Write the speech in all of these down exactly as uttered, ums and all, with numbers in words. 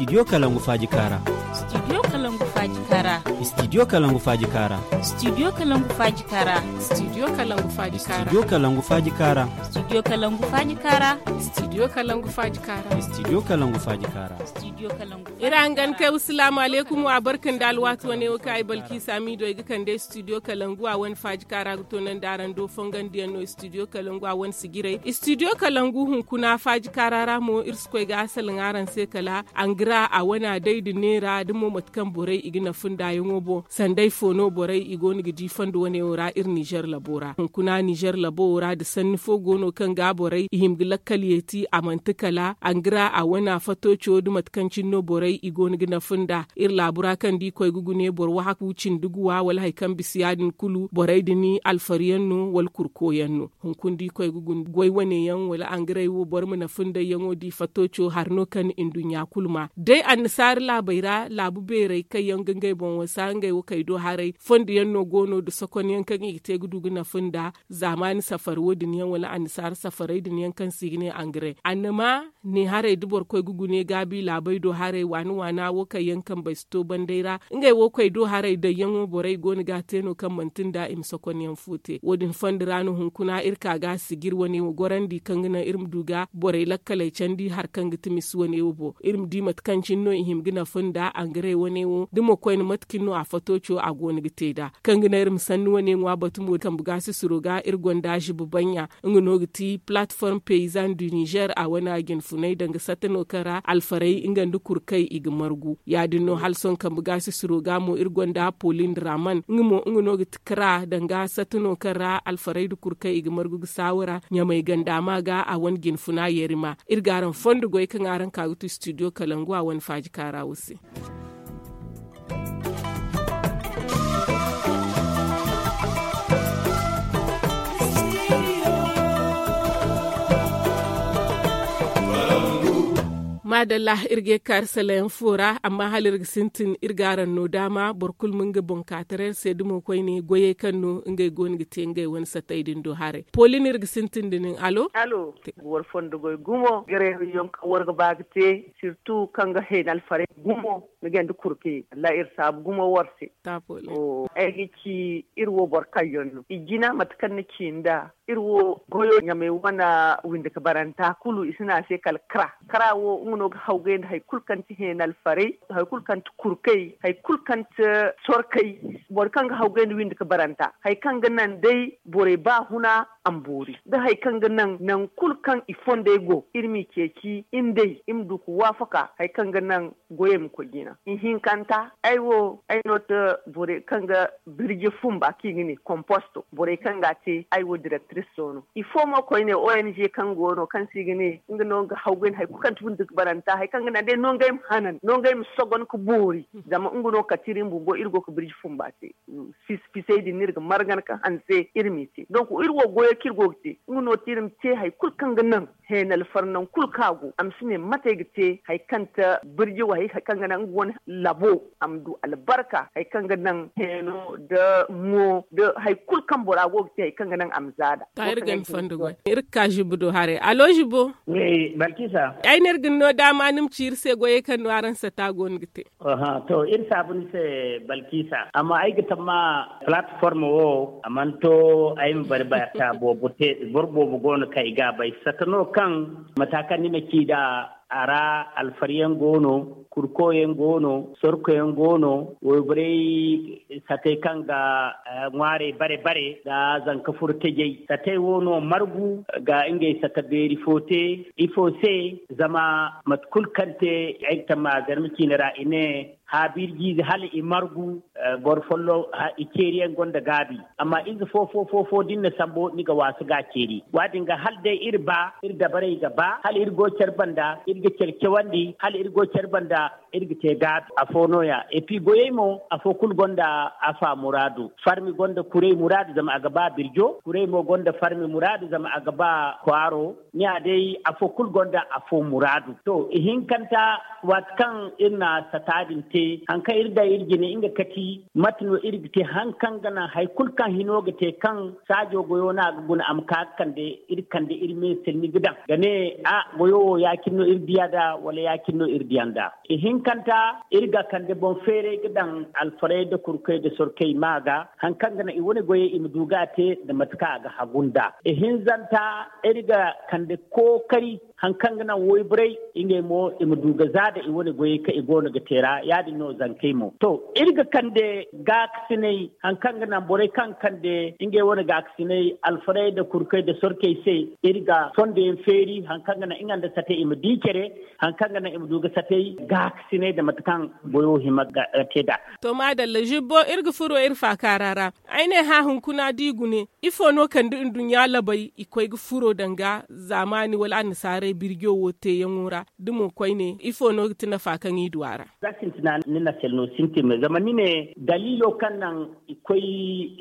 Studio Kalangu Faaji Kaara. Studio Kalangu Faaji Kaara. Studio Kalangu Faaji Kaara. Studio Kalangu Faaji Kaara. Studio Kalangu Faaji Kaara. Studio Kalangu Faaji Kaara. Studio Kalangu Faaji Kaara. Studio Kalangu Faaji Kaara. Studio Kalangu Faaji Kaara. Studio Kalangu Iri hangan kay, wassalaamu alaykum, wa barka nda alwaati wane wo kaŋ ay Balkiisa Hamiido ay ga kande studio Kalangu a wane faaji kaara ga toonandi araŋ do fongandiyaŋ no studio Kalangu a wane sijirey. Studio Kalangu hunkuna faaji kaara ra mo iri si koy ga a salaŋ araŋ se kala angra a wana day nda neera da mo mate kaŋ borey i ga nafa ndaayaŋo boŋ. Sanday fo no borey i go no ga di fondo wane wo ra iri Nizer labo ra. Hunkuna Nizer labo wo ra da sanni fo go no kaŋ ga borey i hima ga lakkal yeeti a manti kala angra a wana fatooco da mate kaŋ cine no borey i go no ga nafa nda. Iri laabu ra kaŋ da i koy ga gune boro wahakku cindi guwa wala hari kaŋ bisa ya- din kulu borey din alfari yaŋ no wala kurko yaŋ no. Hunkuna da i koy ga gune goy wane yaŋ wala angaray wo boro ma nafa ndayyaŋo da i fatooco hari no kaŋ nduɲɲa kulu ma day annasaara laabey ra laabu beerey kaŋ yaŋ ga ngey boŋ wasa ngey wo kay do haray fondo yaŋ no go no nda sokonyaŋ kaŋ i ga te ga du ga nafa nda zaamaani safari wo- din yaŋ wala annasaara safarey din yaŋ kaŋ se i ga ne angaray annama ne haray da boro koy ga gune gaabi laabey do haray waana waana wo kaŋ yaŋ kambey si to banday ra ngey wo koy do haray dayyaŋo borey go no ga a te no kaŋ manti nda i ma sokonyaŋ fo te wo- din fondo ra no hunkuna iri ka ga sijir wane wo gorandi kaŋ ga naŋ iri ma du ga borey lakkaley candi hari kaŋ ga ti misi wane wo boŋ iri ma di mate kaŋ cine no i hima ga nafa nda angaray wane wo da mo koyne mate cine no a fatooco a go no ga te nd'a kaŋ ga naŋ iri ma sanni wane ŋwa batu mo kambe gaasisiro ga iri gonda ziba banɲa nga no ga ti platform paysan du nizer a wane a jinfunay danga satta no kaŋ ra alfarey nga nda kurkay i ga margu ya- din no hala sohõ kambe gaasisiro ga mo iri gonda polin raman nga mo nga no ga ti kara danga satta no kaŋ ra alfarey nda kurkay i ga margu ga saawara ɲamay ganda ma ga a wane jinfuna yarima iri ga araŋ fondo goy kaŋ araŋ ka ga tu studio kalangu a wane faaji kaara wo se. Maadalla, iri ga ye ga kaari salayaŋ fo ra amma hala iri ga sintin iri ga araŋ no daama boro kulu ma nga boŋ ka taray iri se da mo koyne goyey kaŋ no ngey go no ga te ngey wane satay din do haray. Poolin iri ga sintin da nin alo. Alo. War fondo goy gumo gareeriyoŋ kaŋ war ga ba ga te sirtu kaŋ ga heen alfarey gumo. Ni ga nda kurke wallaahi iri saabu gumo war se. Ay ga ci iri wo boro kaŋ yaŋ no i jina mate kaŋ ni ci nda iri wo goyo ɲamay wane windi ka baranta kulu i si ne a se kala kara. Kara wo nga no ga hawgay nda hari kulu kaŋ ti heenalfarey, hari kulu kaŋ ti kurkay, hari kulu kaŋ ti sorkay. Boro kaŋ ga hawgay nda windi ka baranta hari kaŋ ga naŋ day borey ba huna a ma boori da hari kaŋ ga naŋ nangu kulu kaŋ i fondey go iri m'i ceeci iri nd'ey iri ma du ka waafaka hari kaŋ ga naŋ goyey ma koy jina. Ihinkanta ay wo ay no ti borey kaŋ ga birji fumba kaŋ i ga ne komposto borey kaŋ ga a te ay wo direktiris soono. Ifo mo koyne ong kaŋ go no kaŋ se i ga ne nga no nga hawgay nda hari kulu kaŋ ti windi ga baranta hari kaŋ ga naŋ day no ngey ma hanan no ngey ma sogon ga boori. Zama nga no kala ti iri bumbo iri go ga birji fumba te. Fisay din no iri ga margan ga hanse iri m'i te donk iri wo goyo kaŋ iri go ga te nga no ti iri ma te hari kulu kaŋ ga naŋ heenalfar nangu kulu kaŋ a go a ma si ne mate ay ga te hari kaŋ ti birji wo hari kaŋ ga naŋ nga wane labo a ma du albarka hari kaŋ ga naŋ heeno nda mo nda hari kulu kaŋ bora go ga te hari kaŋ ga naŋ a ma zaada. Iri ga ni fondo goy iri ga ka zibo do haray alo zibo. Ay ne iri ga ni no daama ni ma ci iri se goyey kaŋ no araŋ sata go no ga te. To iri saabu ni se balkisa amma ay ga tamma palatform wo a mana to ay ma bari bata boobo te boro boobo go no kaŋ ay ga a bay sata no kaŋ mata kaŋ ni na ci nd'a a ra alfariyaŋ go no, kurkoyaŋ go no, sorkoyaŋ go no, wayborey satey kaŋ ga ŋwaarey bare bare nda zanka furo tajey satey wo no margu ga ngey sata beeri fo te. Ifo se? Zama mate kulu kaŋ te ay ga tamma zarma ciine ra i ne haabirjiize hala i margu. Boro folloŋ i ceeriyaŋ gonda gaabi. Amma ize fo fo fo fo da ni na sambu ni ga waasu ga a ceeri. Wa- din ga hala day iri ba iri dabarey ga ba hala iri go care banda iri ga care cawandi hala iri go care banda iri ga te gaabi afo no- ya. Epi goyey mo afo kulu gonda afa muraadu. Farmi gonda kurey muraadu zama a ga ba birjo kurey mo gonda farmi muraadu zama a ga ba kwaaro. Ni- ya day afo kulu gonda afo muraadu to ihinkanta waati kaŋ iri na sata din te. Hari kaŋ iri daŋ iri jine nga kati mate no iri ga te hari kaŋ ga naŋ hari kulu kaŋ hino ga te kaŋ saajo goyo no a ga guna a ma ka ga kande iri kande iri me se ni ga daŋ ga ne a goyo wo ya- cine no iri diya nd'a wala ya- cine no iri diya nd'a. Ihinkanta iri ga kande boŋ feeray ga daŋ alfarey nda kurkey nda sorkey ma ga hari kaŋ ga naŋ i wane goyey i ma du ga a te nda mate kaŋ a ga hagu nd'a. Ihinzanta iri ga kande kookari hari kaŋ ga naŋ wayborey ngey mo i ma du ga za nda i wane goyey kaŋ i go no ga te ra ya- din no zankey mo to iri ga kande gaakasinay hari kaŋ ga naŋ borey kaŋ ga kande ngey wane gaakasinay alfarey nda kurkey nda sorkey se. Iri ga fondo yaŋ feeri hari kaŋ ga naŋ nga nda satey i ma di care hari kaŋ ga naŋ i ma du ga satey gaakasinay nda mate kaŋ goyo hima ga te nd'a. To maadalla zibbo iri ga furo iri faakaara ra. Ay ne hã hunkuna da i gune ifo no kande nduɲɲa labey i koy ga furo danga zaamaani wala annasaarey birjo wo teeyaŋo ra? Da mo koyne ifo no ga ti nafa kaŋ i du a ra? Za sintina ni na sel no sintin me zama ni ne daliilo kaŋ naŋ i koy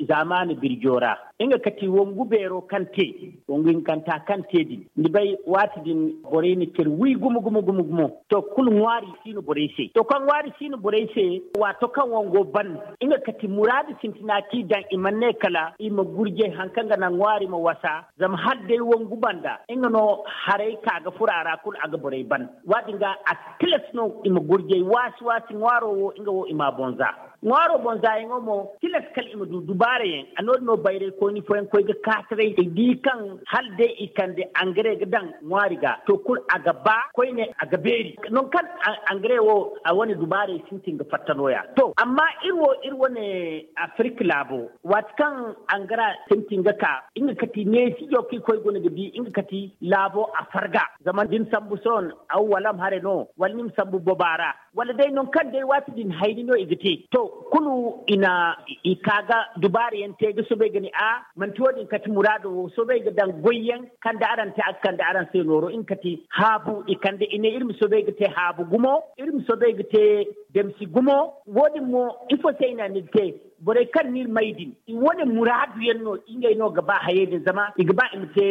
zaamaani birjo ra nga kati wangu beero kaŋ te wangu hinkanta kaŋ te din ni bay waati din borey na care wi gumo gumo gumo gumo. To kulu ŋwaari si no borey se to kaŋ ŋwaari si no borey se waato kaŋ wango ban nga kati muraadu sintina kaŋ i daŋ i mana ne kala i ma gurjay hari kaŋ ga naŋ ŋwaari ma wasa. Zama hala day wangu banda nga no haray ka ga furo a ra kulu a ga borey ban. Waadin ga a tilas no i ma gurjay waasi waasi ŋwaaro wo nga wo i m'a boŋ za. Ŋwaaro boŋ zaayaŋo mo tilas kala i ma du dubaara yaŋ a no- din no bayray koyni fooyaŋ koy ga kaataray i di kaŋ hala day i kande angare ga daŋ ŋwaari ga to kulu a ga ba koyne a ga beeri. Nangu kaŋ angare wo a wane dubaarey sintin ga fatta nooya to amma iri wo iri wane afirka laabo waati kaŋ angara sintin ga ka nga kati neesijo kaŋ i koy guna ga di nga kati laabo a farga. Zama da ni sambu sohõ aw walam hare no wala ni ma sambu boba ra wala day nangu kaŋ day waati din hayni no i ga te to kulu i na i ka ga dubaara yaŋ te ga soobay ga ne a manti wo- din kati muraado wo soobay ga daŋ goy yaŋ kaŋ da araŋ te a ga kande araŋ se nooro nga kati haabu i kande i ne iri ma soobay ga te haabu gumo iri ma soobay ga te damsi gumo. Wo- din mo ifo se i na ni ga te borey kaŋ no iri may din i wane muraadu yaŋ no ngey no ga ba hayey din zama i ga ba i ma te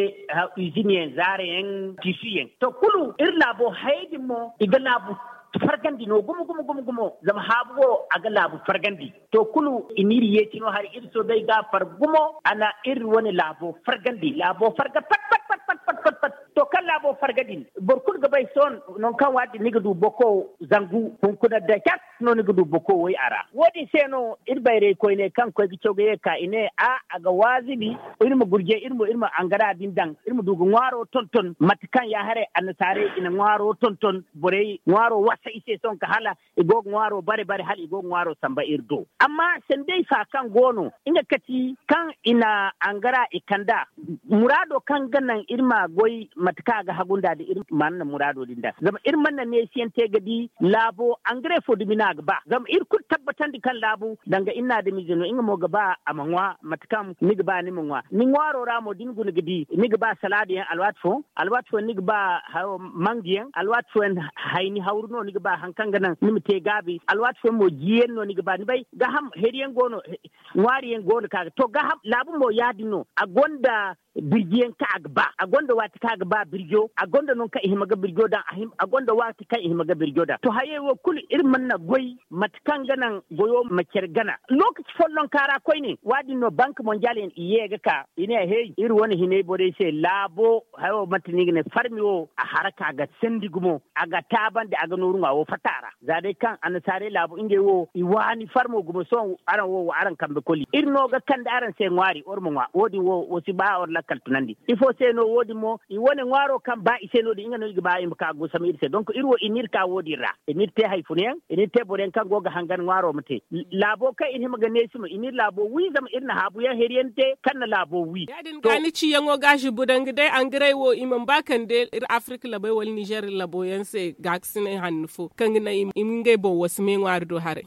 izini yaŋ zaara yaŋ tiisi yaŋ to kulu iri laabo hayey din mo i ga laabu fargandi no gumo gumo gumo gumo zama haabu wo a ga laabu fargandi. To kulu i n'iri yeeti no hari iri soobay ga a far gumo a na iri wane laabo fargandi laabo farga pat pat pat pat pat pat pat. To kaŋ laabo farga din boro kulu ga bay sohõ nangu kaŋ waati ni ga du boko zangu hunkuna da cat no ni ga du boko way a ra wo- din se no iri bayray koyne kaŋ koy ga caw ga ye ka i ne a a ga waazibi iri ma gurjay iri ma iri ma angara din daŋ iri ma du ga ŋwaaro tonton mate kaŋ ya haray annasaarey i na ŋwaaro tonton borey ŋwaaro wasa i se sohõ ka hala i go ga ŋwaaro bare bare hala i go ga ŋwaaro samba iri do. Amma sanday fa kaŋ go no nga kati kaŋ i na angara i kand'a muraado kaŋ ga naŋ iri ma goy mate kaŋ a ga hagu nd'a da iri mana na muraado din da zama iri mana na neesiyaŋ te ga di laabo angare fo dumi no a ga ba zama iri kulu tabbatandi kaŋ laabu danga iri na adamize no nga mo ga ba a ma ŋwa mate kaŋ ni ga ba ni ma ŋwa ni ŋwaaro ra mo da ni guna ga di ni ga ba salaada yaŋ alwaati fo alwaati fooyaŋ ni ga ba mangu yaŋ alwaati fooyaŋ hayni hawru no ni ga ba hari kaŋ ga naŋ ni ma te gaabi alwaati fooyaŋ mo jiyaŋ no ni ga ba ni bay gaaham hari yaŋ go no ŋwaari yaŋ go no kaŋ a ga to gaaham laabu mo ya- din no a gonda birji yaŋ kaŋ a ga ba a gonda waati kaŋ a ga ba birjo a gonda nangu kaŋ i hima ga birjo daŋ a gonda waati kaŋ i hima ga birjo daŋ to hayey wo kulu iri mana na goy mate kaŋ ga naŋ goyo ma care gana lookaci follonka ra koyne wa- din no banka mondial yaŋ i ye ga ka i ne hey iri wane hinay borey se laabo hayo manti no i ga ne farmi wo a haraka ga sandi gumo a ga taabandi a ga nooru ŋwa wo fatta a ra za day kaŋ annasaarey laabu ngey wo i waani farmo gumo sohõ araŋ wo wo araŋ kambe koli iri no ga kande araŋ se ŋwaari war ma ŋwa wo- din wo wo si ba war lakkal tunandi ifo se no wo- din mo i wane ŋwaaro kaŋ ba i se no- din nga no i ga ba i ma ka gusam iri se donk iri wo i n'iri ka wo- din ra i n'iri te hari funa yaŋ i n'iri te boro yaŋ kaŋ go ga hangan ŋwaaro ma te laabo kaŋ iri hima ga neesi mo i n'iri laabo wi zama iri na haabu yaŋ hari yaŋ te kaŋ na laabo wi ya- din ga ni ciyaŋo ga zibbu danga day angaray wo i mana ba kande iri afirka labey wala nizer labo yaŋ se gaakasinay hanno fo kaŋ ga naŋ i ma ngey boŋ wasa me ŋwaari do haray.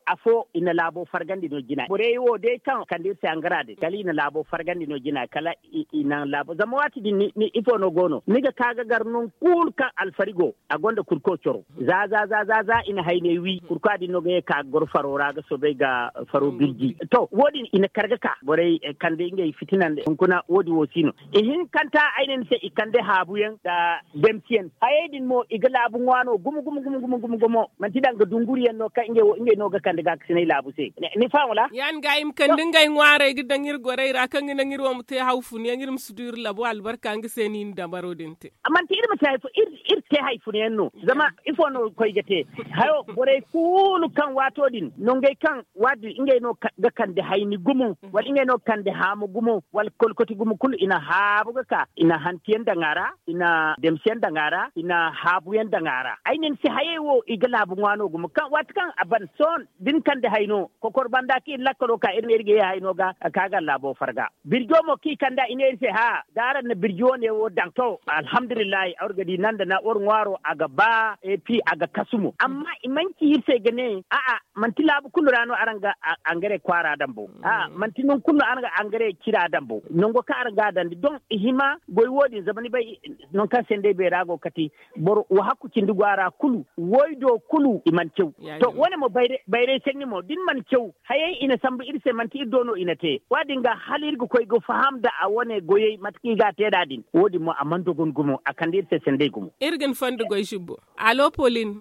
Afo i na laabo fargandi no jina borey wo day kaŋ kande iri se angara din kala i na laabo fargandi no jina kala i naŋ laabo zama waati din ifo no go no ni ga ka ga gar nangu kulu kaŋ alfari go. A gonda kurko coro za za za za za i na hayney wi kurko din no ga ye ka ga goro faro ra ga soobay ga faro birji. To wo- din i na kar ga ka borey kande ngey fitinandi hunkuna wo- din wo si no. Ihinkanta ay ne ni se i kande haabu yaŋ nda demsi yaŋ hayey din mo i ga laabu ŋwa no gumo gumo gumo gumo gumo gumo manti danga dunguri yaŋ no kaŋ ngey no ga kande gaakasinay laabu se. Ni faham wala? Ya- din ga i ma kande ngey ŋwaarey ga daŋ iri gorey ra kaŋ ga naŋ iri wo ma te haw fun yaŋ iri ma si du iri labo albarka nga se no i na dabaro din te. Manti iri ma te hari fo iri te hari funa yaŋ no zama ifo no koy ga te? Hayo borey kulu kaŋ waato din no ngey kaŋ waati din ngey no ga kande hayni gumo wala ngey no ga kande haamu gumo wala kolkoti gumo kulu i na haabu ga ka i na hanti yaŋ daŋ a ra i na demsi yaŋ daŋ a ra i na haabu yaŋ daŋ a ra ay ne ni se hayey wo i ga laabu ŋwa no gumo waati kaŋ a ban sohõ da ni kande hayno kokor banda kaŋ iri lakkalo ka iri ne iri ga ye hayno ga ka ga laabo farga birjo mo kaŋ i kand'a i ne iri se ha da araŋ na birji wane wo daŋ to alhamdulillahi araŋ ga di nan da nan war ŋwaaro a ga ba epi a ga kasu mo amma i mana ci iri se ga ne a'a manti laabu kulu ra no araŋ ga angare kwaara daŋ bo a'a manti nangu kulu no araŋ ga angare cira daŋ bo nango kaŋ araŋ ga a daŋ di doŋ i hima goy wo- din zama ni bay nangu kaŋ se ni day beera go kati boro wo hakku cindi go a ra kulu woy do kulu i mana caw. To wane mo bayray sanni mo da ni mana caw hayey i na sambu iri se manti iri do no i na te wo- din ga hala iri ga koy ga faham nda a wane goyey mate kaŋ i ga a te nd'a din wo- din mo a mana dogon gumo a kande iri se sanday gumo. Iri ga ni fondo goy zibbo. Alo polin.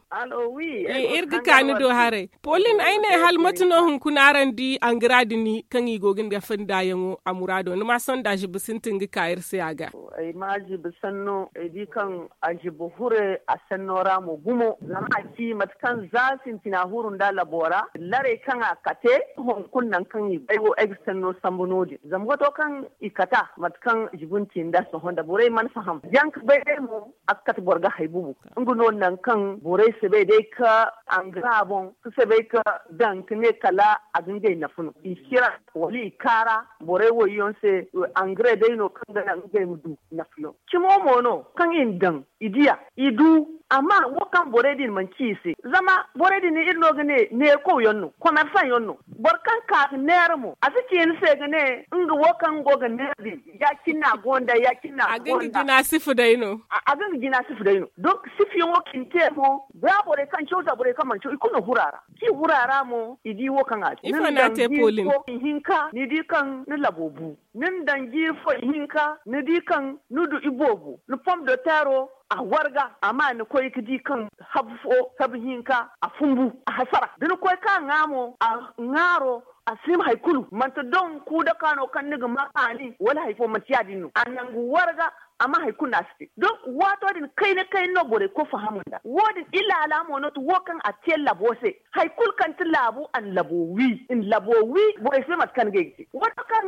Iri ga ka ni do haray. Polin ay ne hala mate no hunkuna araŋ di angara din kaŋ i go ga ni ga fonda yaŋo a muraado ni ma sonda zibbo sintin ga ka iri se a ga. Ay ma zibbo sanno ay di kaŋ a zibbo hure a sanno ra mo gumo zama a ci mate kaŋ za sintina huru nda labo ra laray kaŋ a kate hunkuna nangu kaŋ i bay wo ay ga sanno sambu no- din zama wato kaŋ i kata mate kaŋ zibbo ni ci nda sohõ nda borey mana faham jaŋ ga bay day mo a ga kate boro ga hay bubu. Nga no nangu kaŋ borey si bay day ka angara boŋ si bay ka daŋ ka ne kala a ga ngey nafa no i cira wala i kaara borey woyyaŋ se. Angara day no kaŋ ga naŋ ngey ma du nafa no cimo mo no kaŋ i na daŋ i diya i du. Amma wo kaŋ borey din manci i se zama borey din iri no ga ne neerkow yaŋ no komersaŋ yaŋ no boro kaŋ ka ga neera mo a si ci ni se ga ne nga wo kaŋ go ga neera din ya- cine a gonda ya- cine a gonda a ga nga jina sifa day no. A ga nga jina sifa day no donk sifa yaŋo kaŋ i na te mo ba borey kaŋ caw za borey kaŋ mana caw i kulu na huru a ra kaŋ i huru a ra mo i di wo kaŋ a te ifo no a te polin. Ihinka ni di kaŋ ni labo bu ni na daŋ jiiri fo ihinka ni di kaŋ ni du iboobo ni pom do teero a warga amma ni koy ga di kaŋ habu fo habu hinka a fumbu a hasara da ni koy ka ŋwa mo a ŋwaaro a si hima hari kulu manti doŋ kuudaka no kaŋ ni ga ma kaani wala hari fo manti ya- din no a nangu warga. Amma hari kulu no a si te donk waato din kayna kayna no borey koy faham nd'a wo- din ilaala mo no ti wo kaŋ a te labo se hari kulu kaŋ ti laabu a na labo wi i na labo wi borey si bay mate kaŋ ga ay ga te wato kaŋ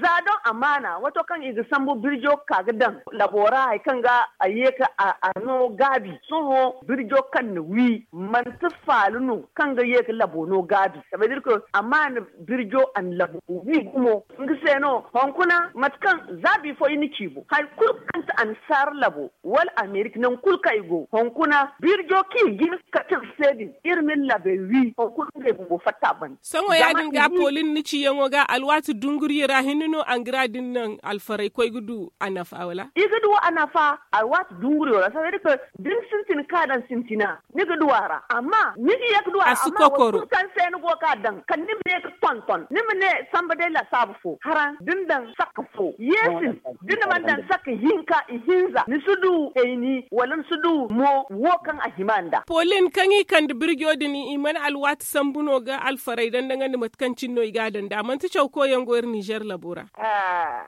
za doŋ amaana wato kaŋ i ga sambu birjo ga ka ga daŋ labo ra hari kaŋ ga a ye ka a no gaabi sohõ birjo kaŋ na wi manti faali no kaŋ ga ye ga labo no gaabi sabedirka amaana birjo a na labo wi gumo nga se no hunkuna mate kaŋ za bifo i na ci bo hari kulu kaŋ ti annasaara labo wala amerika nangu kulu kaŋ i go hunkuna birjo kaŋ i jin ga kate se din iri ma iri labey wi hunkuna ngey bumbo fatta banda. Sohõ ya- din ga polin ni ciyaŋo ga alwaati dunguriyo ra hinne no angara din naŋ alfaray koy ga du a nafa wala i ga du a nafa alwaati dunguriyo ra sabedirka da ni sintin ka daŋ sintina ni ga du a ra amma ni ga ye ga du a ra amma waati kulu kaŋ se ni go ga daŋ kala ni ma ne ga tonton ni ma ne samba day lasaabu fo haraŋ da ni daŋ sakka fo yeesin da ni mana daŋ sakka hinka ihinza ni si du hayni wala ni si du mo wo kaŋ a hima nd'a. Polin kaŋ i kande birjo din i mana alwaati sambu no ga alfaray daŋ daŋandi mate kaŋ cine no i ga a daŋ nd'a manti caw koyyaŋ go iri nizer labo ra.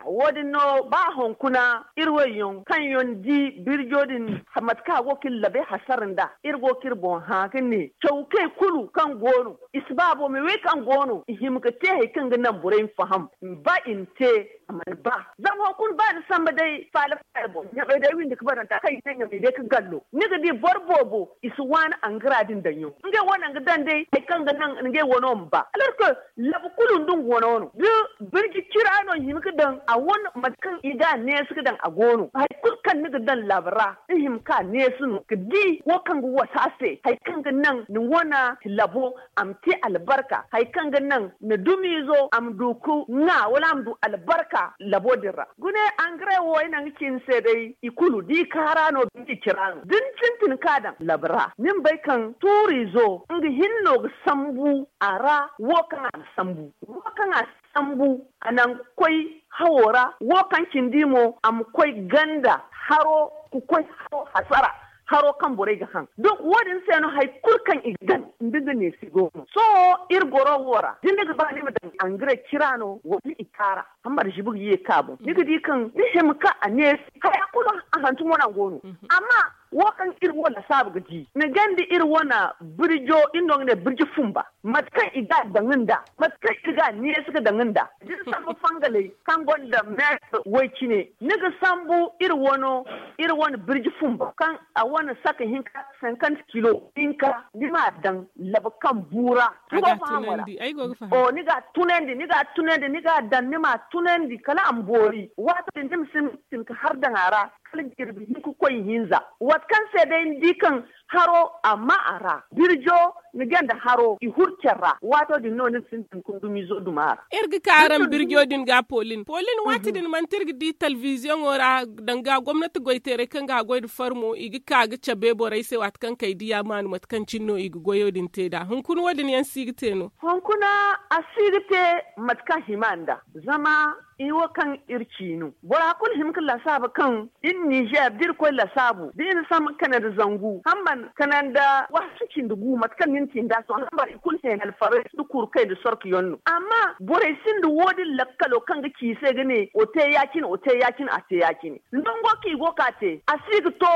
Wo- din no ba hunkuna iri wayyaŋ kaŋ yaŋ di birjo din mate kaŋ a go ga iri labay hasara nd'a iri go ga iri boŋ hã ga ne cawkey kulu kaŋ go no i si ba boome wey kaŋ go no i hima ga te hari kaŋ ga naŋ borey ma faham ba i na te a mana ba zama hunkuna ba ni samba day faala faala boŋ ɲamey day windi ga baranta kaŋ i ne ɲamey day ga gallo ni ga di boro boobo i si waani angara din daŋ yaŋ ngey wane ga daŋ day hari kaŋ ga naŋ ngey wano ma ba alors que labu kulu nda nga wano no da birji cira no i hima ga daŋ a wane mate kaŋ i ga a neesi ga daŋ a go no hari kulu kaŋ kaŋ ni ga daŋ labo ra, ni hima ka neesu no ga di wo kaŋ ga wasa se hari kaŋ ga naŋ ni wane labo a ma te albarka, hari kaŋ ga naŋ ni dumiizo a ma du ga ŋwa wala a ma du albarka labo din ra. Gune, angare wo ay naŋ ga ci ni se day i kulu da i kaara no da i cira no da ni sintin ka daŋ labo ra ni ma bay kaŋ tuuriizo nga hinne no ga sambu a ra. Wo kaŋ a ga sambu wo kaŋ a sambu a naŋ ga koy hawo ra wo kaŋ cindi mo a ma koy ganda haro ga koy haro hasara, haro kaŋ borey ga haŋ. Donk wo- din se no hari kulu kaŋ i ga daŋ nda nga neesi go no sohõ iri goro wo ra da ni ga ba ni ma daŋ angare cira no wala i kaara hambar zibi ga ye ka boŋ ni ga di kaŋ ni hima ka a neesi haya kulu a hantumo no a go no. Amma wo kaŋ iri wo lasaabu ga di ni ganda iri wane birjo iri no ga ne birji fumba mate kaŋ i ga a daŋ nda mate kaŋ iri ga a neesi ga daŋ nda da ni sambu fangaley kaŋ gonda meetar way cine ni ga sambu iri wano iri wane birji fumba kaŋ a wane saka hinka cinquante kilo hinka ni ma a daŋ labu kaŋ bu ra. Ni ga a tunandi ni ga a tunandi ni ga a daŋ ni ma a tunandi kala a ma boori waato din ni ma sintin ga har daŋ a ra kala jirbi hinka koy hinza waati kaŋ se day ni di kaŋ haro a ma a ra birjo ni ganda haro i huru care ra waato din no ni ga sintin ga ni dumiizo duma a ra. Iri ga ka araŋ birjo din ga polin polin waati din manti iri ga di talbiziyoŋo ra danga gomnati goyteeray kaŋ ga a goy nda farmo i ga ka ga cabe borey se waati kaŋ kay diya maanu mate kaŋ cine no i ga goyo din te nd'a hunkuna wo- din yaŋ si ga te no? Hunkuna a si ga te mate kaŋ hima nda zama i wo kaŋ iri ciinu bora kulu hima ga lasaabu kaŋ iri nizeer da iri koy lasaabu da iri na sambu kanandi zangu hamman kanandi waasu cindi gu mate kaŋ ni na ci nd'a sohõ hambar i kulu heenalfarey nda kurkey nda sorkuyaŋ no amma borey sinda wo- din lakkalo kaŋ ga ci i se ga ne wo te ya- cine wo te ya- cine a te ya- cine nango kaŋ i go ga te a si ga to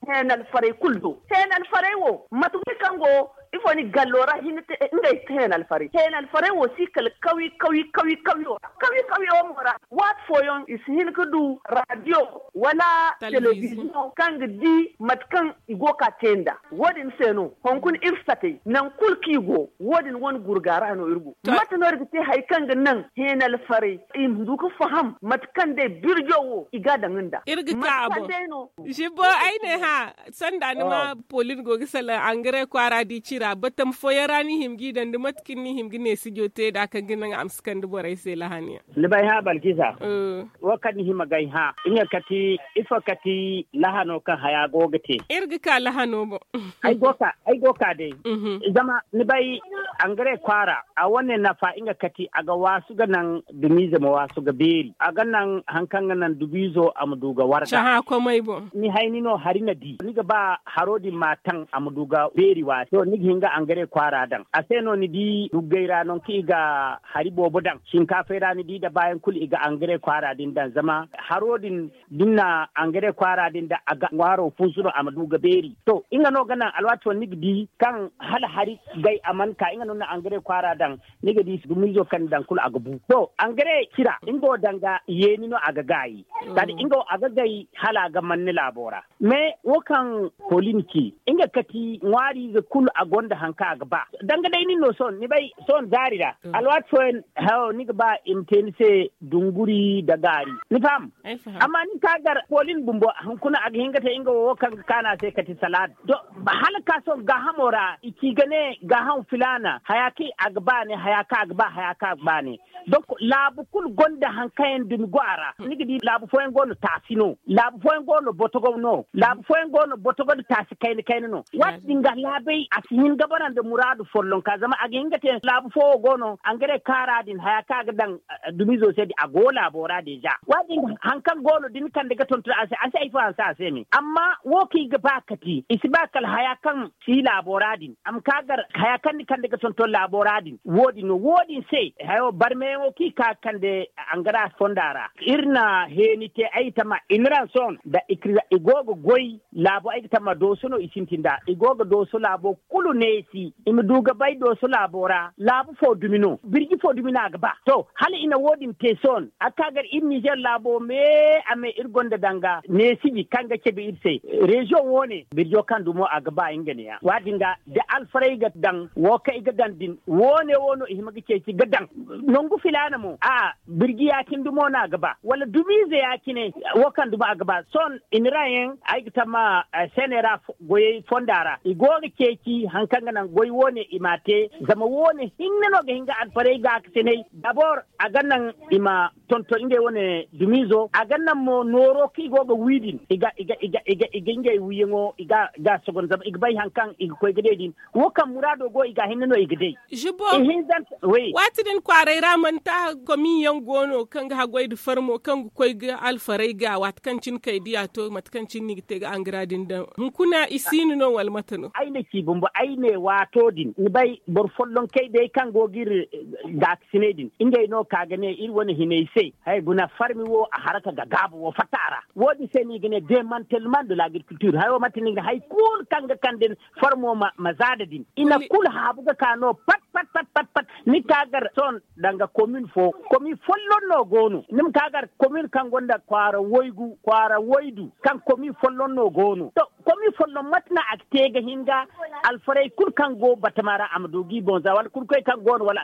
heenalfarey kulu do heenalfarey wo mate kulu kaŋ go ifo ni gallo ra hinne te ngey heenalfarey heenalfarey wo si kala kawi kawi kawi kawiyo ra kawi kawiyo mo ra waati fooyaŋ i si hin ga du raadiyo wala telebiziyoŋ kaŋ ga di mate kaŋ i go ga te nda wo- din se no hunkuna iri satey nangu kulu kaŋ i go wo- din wane gurga ra no iri go mate no iri ga te hari kaŋ ga naŋ heenalfarey i ma du ga faham mate kaŋ day birjo wo i ga a daŋ nda iri ga ka a boŋ. Zibbo ay ne hã sanda ni ma polin go ga salaŋ angare kwaara di cira batam fooyaŋ ra ni hima g'i daŋ da mate kaŋ ni hima ga ne sijo te nd'a kaŋ ga naŋ a ma si kande borey se lahani yaŋ. Ni bay hã balkisa wo kaŋ ni hima g'ay hã nga kati ifo kati lahano kaŋ haya go ga te. Iri ga ka lahano boŋ. Ay go ka day zama ni bay angare kwaara a wane nafa nga kati a ga waasu ga naŋ dumiize ma waasu ga beeri a ga naŋ hari kaŋ ga naŋ dumiizo a ma du ga warga. Cahã komey boŋ. Ni hayni no hari na di ni ga ba haro din ma taŋ a ma du ga beeri waati to ni ga hin ga angare kwaara daŋ a se no ni di duggey ra nangu kaŋ i ga hari boobo daŋ shinkaafey ra ni di nda baayaŋ kulu i ga angare kwaara din daŋ zama haro din da ni na angare kwaara din daŋ a ga ŋwaaro funsu no a ma du ga beeri to nga no ga naŋ alwaati fooyaŋ ni ga di kaŋ hala hari gay a mana ka nga no ni na angare kwaara daŋ ni ga di dumiizo kaŋ ni daŋ kulu a ga bu to angare cira nga wo danga yeeni no a ga gaayi kala nga wo a ga gay hala a ga manni laabo ra. Mais wo kaŋ polin ci nga kati ŋwaariize kulu a gonda hari kaŋ a ga ba danga day nin no sohõ ni bay sohõ zaari ra alwaati fooyaŋ hayo ni ga ba i ma te ni se dunguri nda gaari ni faham. Amma nin ka gar polin bumbo hunkuna a ga hin ga te nga wo wo kaŋ ga kaanu a se kati salaad to hala ka sohõ gaahamo ra i ci ga ne gaaham filaana haya kaŋ a ga ba ne haya kaŋ a ga ba haya kaŋ a ga ba ne. Donc laabu kulu gonda hari kaŋ yaŋ dumi go a ra ni ga di laabu fooyaŋ go no taasi no laabu fooyaŋ go no botogo no laabu fooyaŋ go no botogo nda taasi kayna kayna no waati din ga laabey a si hin ga bara nda muraadu follonka zama a ga hin ga te laabu fo wo go no angare kaara din haya kaŋ a ga daŋ dumiizo se din a go laabo ra deeza waati din hari kaŋ go no da ni kande ga tonton a se a si ay fo hanse a se me amma wo kaŋ i ga ba kati i si ba kala haya kaŋ si laabo ra din a ma ka gar haya kaŋ ni kande ga tonton laabo ra din wo- din no wo- din se hayo barmeyaŋo kaŋ i ka ga kande angara fonda ra iri na heeni te ay tama inranson nda i go ga goy laabo ay ga tama dooso no i sintin nd'a i go ga dooso laabo kulu. neesi i ma du ga bay dooso laabo ra laabu fo dumi no birji fo dumi no a ga ba to hala i na wo- din te sohõ a ga ka gar iri nizer laabo me a me iri gonda danga neesiji kaŋ ga cabe iri se. Reziyoŋ wo- ne birjo kaŋ dumo a ga ba nga ne- ya wo- din ga da alfarey ga daŋ wo kaŋ i ga daŋ din wo- ne wo no i hima ga ceeci ga daŋ nangu filaana mo a birji ya- cine dumo no a ga ba wala dumiize ya- cine wo kaŋ dumo a ga ba sohõ i na ra yaŋ ay ga tamma seeney ra goyey fonda ra i go ga ceeci hari kaŋ ga naŋ goy wo- ne i m'a te zama wo- ne hinne no ga hin ga alfarey ga ga sinay dabor a ga naŋ i ma tonton ngey wane dumiizo a ga naŋ mo nooro kaŋ i go ga wi din i ga ngey wiyaŋo i ga a sogon zama i ga bay hari kaŋ i ga koy ga day din wo kaŋ muraado go i ga a hinne no i ga day. Waati din kwaaray ra mana taaha komin yaŋ go no kaŋ ga haggoy nda farmo kaŋ ga koy ga alfaray ga waati kaŋ cine kay diya to mate kaŋ cine no i ga te ga angara din daŋ hunkuna i siino no wala mate no? Ay na ci bumbo ay ne waato din ni bay boro follonkey day kaŋ go ga iri gaakasiney din ngey no ka ga ne iri wane hinay se haya guna farmi wo a haraka ga gaabu wo fatta a ra. Wo-din se no i ga ne demantelman de l'agriculture hayo mate no i ga ne hari kulu kaŋ ga kande farmo ma zaada din i na kulu haabu ga ka no pat pat pat pat pat ni ka gar sohõ danga komin fo komin folloŋ no go no ni ma ka gar komin kaŋ gonda kwaara waygu kwaara waydu kaŋ komin folloŋ no go no to komin folloŋ mate no a ga te ga hin ga alfarey kulu kaŋ go batama ra a ma du ga i boŋ za wala kurkoy kaŋ go no wala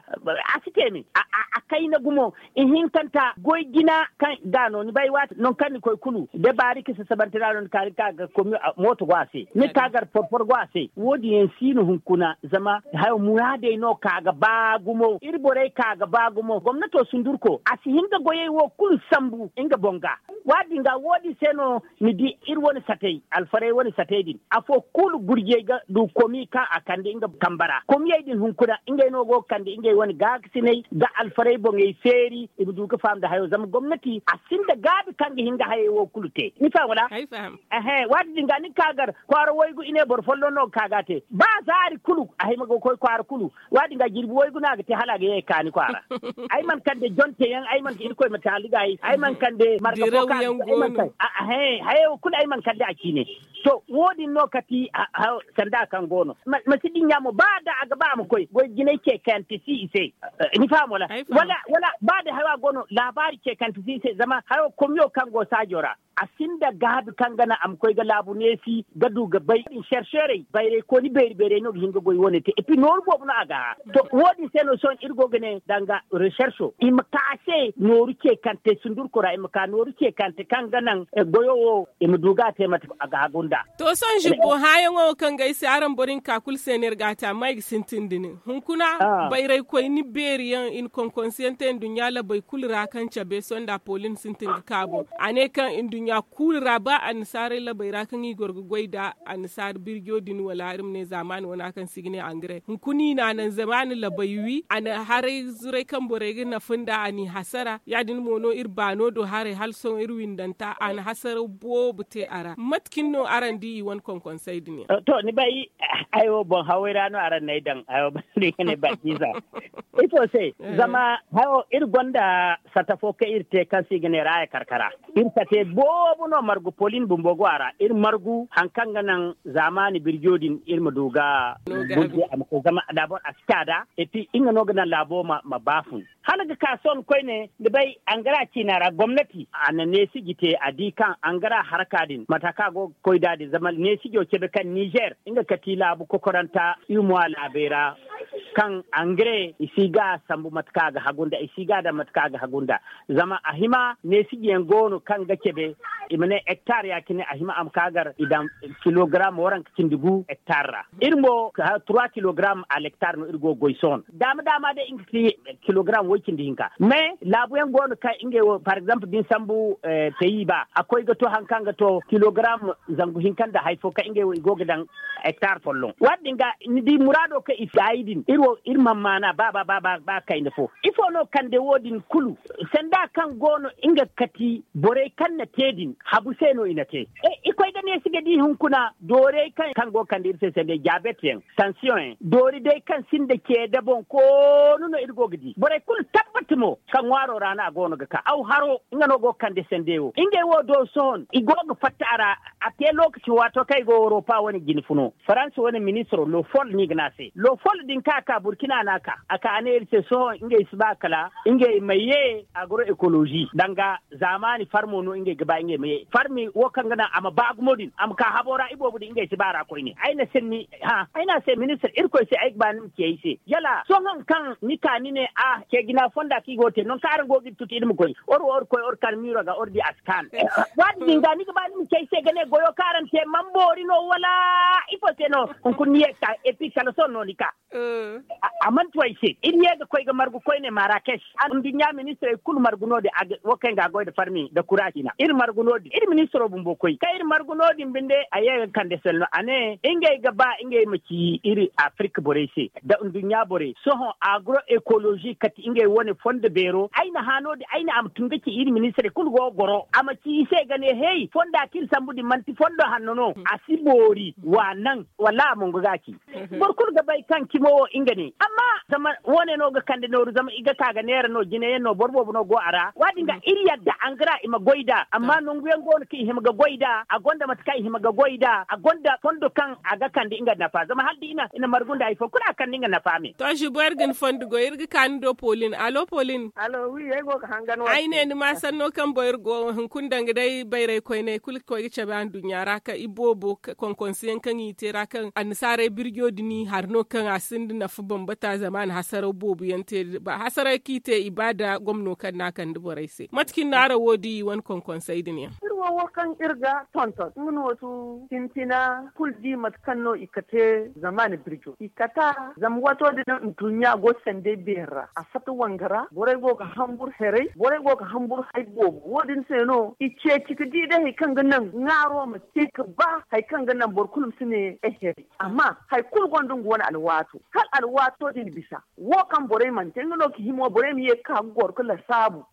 a si te me a kayna gumo ihinkanta goy jina kaŋ ga no ni bay waati nangu kaŋ ni koy kulu da baari ka sasabante ra no ni ka ga komi mooto go a se ni ka gar porpor go a se wo- din yaŋ si no hunkuna zama hayo muraadey no ka ga ba gumo iri borey ka ga ba gumo gomnato sundurko a si hin ga goyey wo kulu sambu nga boŋ ga. Waati din ga wo- din se no ni di iri wane satey alfarey wane satey din afo kulu gurjey ga du komi kaŋ a kande nga kamba ra komiyey din hunkuna ngey no go ga kande ngey wane gaakasiney ga alfarey boŋey feeri i ma du ga faham nda hayo zama gomnati a sinda gaabi kaŋ ga hin ga hayey wo kulu te ni faham wala? Waati din ga ni ga ka gar kwaara waygu i ne boro folloŋ no ga ka ga a te ba zaari kulu a hima ga koy kwaara kulu. Waati din ga jirbi waygu no a ga te hala a ga ye ga kaani kwaara. Ay mana kande jonte yaŋ ay mana ka irkoy ma taali ga ay ay mana kande marga fo ka ay mana kande. Hayey wo kulu ay mana kande a ciine. To wo- din no kati sanda kaŋ go no ma si dinya mo ba da a ga ba a ma koy goy jinay ce kayante si i se. Ni faham wala? Wala ba da haya go no laabaari ce kayante si i se zama hayo komiyo kaŋ go saajo ra a sinda gaabi kaŋ ga naŋ a ma koy ga laabu neesi ga du ga bay din serserey bayray kooni beeri beeray no ga hin ga goy wo- ne te epi nooru boobo no a ga hã. To wo- din se no sohõ iri go ga ne danga resercho i ma ka a se nooru ce kante sundurko ra i ma ka nooru ce kante kaŋ ga naŋ goyo wo i ma du ga a te mate a ga hagu nda. To sohõ zibbo hãyaŋo wo kaŋ ga ay se araŋ boro hinka kulu se no iri ga a te amma i ga sintin da nin hunkuna bayraykoyni beeri yaŋ i na konkonsiyaŋ te nduɲɲa labey kulu ra kaŋ cabe sohõ nda apolin sintin ga ka boŋ a ne kaŋ nduɲɲa kulu ra ba annasaarey labey ra kaŋ i goro ga goy nda annasaara birjo din wala iri ma ne zaamaani wana kaŋ se i ga ne angare hunkuna i na a naŋ zaamaani labey wi a na haray zuray kaŋ borey ga nafa nda a n'i hasara ya- din mo no iri baano do haray hala sohõ iri windanta a na hasara boobo te a ra mate cine no araŋ di i wane konkonsey din yaŋ? To ni bay ay wo boŋ haway ra no araŋ n'ay daŋ ay wo banda i ga ne bakiisa. Ifo se zama hayo iri gonda sata fo kaŋ iri te kaŋ se i ga ne raaya karkara. Iri sate boobo no margu polin bumbo go a ra iri margu hari kaŋ ga naŋ zaamaani birjo din iri ma du ga burje a ma koy zama daabor a si caada. Epi nga no ga naŋ laabo ma baafun hala ga ka sohõ koyne ni bay angara ciina ra gomnati a na neesiji te a di kaŋ angara haraka din mata kaŋ a go ga koy nd'a din zama neesijo cabe kaŋ nizer nga kati laabu kokoranta iri mo a laabey ra kaŋ angare i si ga a sambu mate kaŋ a ga hagu nda i si ga a daŋ mate kaŋ a ga hagu nda. Zama a hima neesijiyaŋ go no kaŋ ga cabe i ma ne hektar ya- cine a hima a ma ka gar i daŋ kilogaram waranka cindi gu hektar ra. Iri mo trois kilogaram a lektar no iri go ga goy sohõ daama daama day nga si kilogaram way cindi hinka mais laabuyaŋ go no kaŋ ngey wo par exemple da ni sambu peyi ba a koy ga to hari kaŋ ga to kilogaram zangu hinka nda hari fo kaŋ ngey wo i go ga daŋ hektar folloŋ waati din ga ni di muraado kaŋ i si gaayi din iri wo iri mana maana ba ba ba ba kayna fo ifo no kande wo- din kulu sanda kaŋ go no nga ga kati borey kaŋ na te din habu se no i na te. I koy ga Iri si ga di hunkuna doorey kaŋ go ga kande iri se sanday diabet yaŋ, tansiyoŋ yaŋ doori day kaŋ sinda ceede boŋ koonu no iri go ga di borey kulu tabbati mo kaŋ ŋwaaro ra no a go no ga ka aw haro nga no go ga kande sanday wo ngey wo do sohõ i go ga fatta a ra. A te lookaci waato kaŋ i go woropa wane jine funo faransa wane ministiro lofol no i ga ne a se lofol din kaŋ a ka burkina no a ka a ka a ne iri se sohõ ngey si ba kala ngey ma ye agro ekolozi danga zaamaani farmo no ngey ga ba ngey ma ye farmi wo kaŋ ga naŋ a ma ba gumo din a ma ka habo ra iboobo din ngey si ba ra koyne ay na se ni ha ay na se ministir irkoy se ay ga ba ni ma ci ay se yala sohõ kaŋ ni ka ni ne a ce jina fonda kaŋ i go ga te nangu kaŋ araŋ go ga iri tuti iri ma koy oro oro koy oro kaŋ miiro ga oro di a si kaanu. Waati din ga ni ga ba ni ma ci ay se ga ne goyo kaŋ araŋ te man boori no wala ifo se no? Hunkuna ni ye ga ka epi kala sohõ no ni ka a mana tu ay se iri ye ga koy ga margu koyne marakes. Nduɲɲa ministirey kulu margu no- din wo kaŋ ga goy nda farmi nda kuraasi na iri margu no- din iri ministiro bumbo koy kaŋ iri margu no- din binde a ye ga kande selno a ne ngey ga ba ngey ma ci iri afirika borey se nda nduɲɲa borey sohõ agro ekolozi kate ngey wane fondo beero ay na hã no- din ay ne a ma tun ga ci iri ministirey kulu go ga goro a ma ci i se ga ne hey fonda kaŋ iri sambu din manti fondo hanno no a si boori wa naŋ wallaahi a mongo ga a ci. Boro kulu ga bay kaŋ cimo wo nga ne amma zama wo- ne no ga kande nooru zama i ga ka ga neera no jine yaŋ no boro boobo no go a ra wo- din ga iri yadda angara i ma goy nd'a amma nangu yaŋ go no kaŋ i hima ga goy nd'a a gonda mate kaŋ i hima ga goy nd'a a gonda fondo kaŋ a ga kande nga nafa zama hala da i na margu nda hari fo kulu a kande nga nafa me. To zubo iri ga ni fondo goy iri ga ka ni do polin alo polin. Ay ne ni ma sanno kaŋ boy iri go hunkuna danga day bayray koyney kulu ga koy ga cabe anduɲɲa ra kaŋ iboobo konkonse yaŋ kaŋ i te ra kaŋ annasaarey birjo din hari no kaŋ a sinda nafa bambata zama a na hasaraw boobo yaŋ te hasaray kaŋ i te i ba nda gomno kaŋ no a kande borey se mate cine no araŋ wo di wane konkonsey din yaŋ? Iri wo wo kaŋ iri ga tonton nga no tu sintina kulu di mate kaŋ no i ga te zama a na birjo i kata zama waato din nduɲɲa go sanday beeri ra a fatta wanga ra borey go ga hambur heray borey go ga hambur hay boobo wo- din se no i ceeci ga di day hari kaŋ ga naŋ ŋaaro ma te ga ba hari kaŋ ga naŋ boro kulu ma si ne ay heray amma hari kulu gonda nga wane alwaato hala alwaato din bisa wo kaŋ borey mana te nga no ga himo borey ma ye ga ka ga goro ga lasaabu.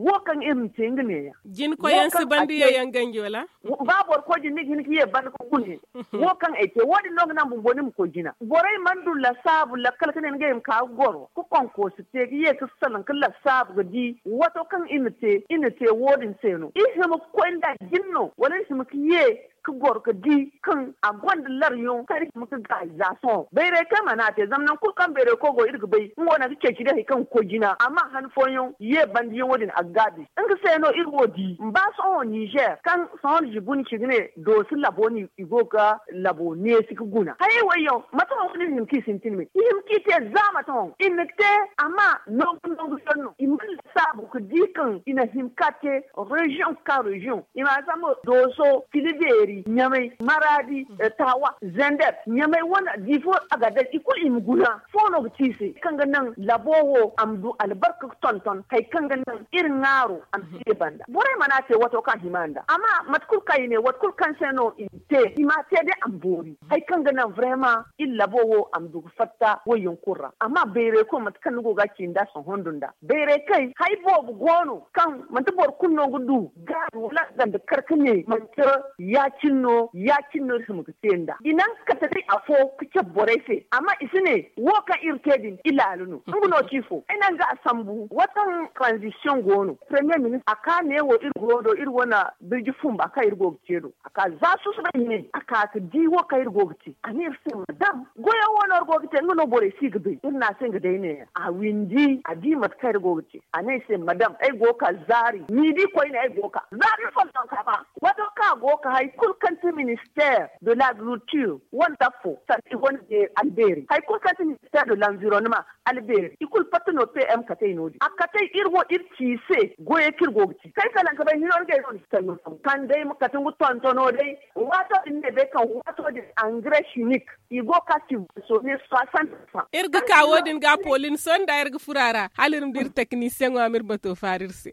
Wo kaŋ iri ma te nga neeya jina koy yaŋ si banda yaŋ ganji wala? Ba boro koy jina ni ga hin ga ye banda ga gune wo kaŋ ay te wo- din no ga naŋ bumbo ni ma koy jina borey mana du lasaabu lakkal ga ne ngey ma ka ga goro ga konkosi te ga ye ga salaŋ ga lasaabu ga di wato kaŋ i na te i na te wo- din se no i hima ga koy nda jina no wala i hima ga ye ga goro ga di kaŋ a gonda laryoŋ kaŋ i hima ga gaayi za sohõ bayray kaŋ mana te zama nangu kulu kaŋ bayray koy go iri ga bay nga wo naŋ ga ceeci day hari kaŋ ga koy jina amma han fooyaŋ ye banda yaŋ wo- din a ga gaabi nga se no iri wo di ba sohõ nizer kaŋ sohõ ni zibu ni ci ga ne doosi labo no i go ga labo neesi ga guna hayey wo- yaŋ mate no wo- din hima kaŋ i sintin me i hima kaŋ i te za mate no i ma te amma nangu nangu yaŋ no i mana lasaabu ga di kaŋ i na hima ga te reziyoŋ ga ka reziyoŋ i ma zama dooso filibeeri ɲamay maraadi taawa zender ɲamay wane diifo a ga day i kulu i ma guna fo no ga ci i se kaŋ ga naŋ labo wo a ma du albarka ga tonton hari kaŋ ga naŋ iri ŋaaro a ma si ye banda borey mana te wato kaŋ a hima nda amma mate kulu kaŋ i ne wato kulu kaŋ se no i ma te i ma te day a ma boori hari kaŋ ga naŋ vrema iri labo wo a ma du ga fatta wayyaŋ kulu ra amma bayray kulu mate kaŋ ni go ga a ci nda sohõ nda nda bayray kay hari boobo go no kaŋ manti boro kulu no ga du gaaru wala a ganda kar ga ne manti ya- cine no ya- cine no iri hima ga te nda i naŋ ga kate day afo ga cabe borey se amma i si ne wo kaŋ iri te din i laala no nga no ci fo ay naŋ ga a sambu wataŋ tranzisiyoŋ go no premiye ministir a ka ne wo iri go do iri wane birji fumba kaŋ iri go ga te do a ka za susu bay ne a ka ga di wo kaŋ iri go ga te a ne iri se madam goyo wo no iri go ga te nga no borey si ga bay iri na a se nga day ne a windi a di mate kaŋ iri go ga te a ne ay se madam ay go ga ka zaari ni di koyne ay go ga ka zaari iri fo no ka ba wato kaŋ a go ga ka hari kulu kaŋ ti minister de lagrikulture wane dafo sanda i wane beeri albeeri hari kulu kaŋ ti minister de lanvironnement albeeri i kulu fatta no pm katey no- din a katey iri wo iri ci i se goyey kaŋ iri go ga ci kay salaŋ ga bay hino ni ga ay no ni si kay no sambu kaŋ day ma kate nga tontono day waato din ne day kaŋ waato din engrais chimique i go ga ka subventionner soixante francs iri ga ka wo- din ga polin sohõ nda iri ga furo a ra hala iri ma di iri teknisiyeŋo a ma iri bato faari iri se.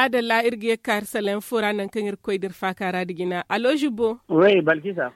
Maadalla, iri ga ye ga ka iri salaŋ fo ra, nangu kaŋ iri ga koy da iri faaka ra nda jina. Allo, Zubbo.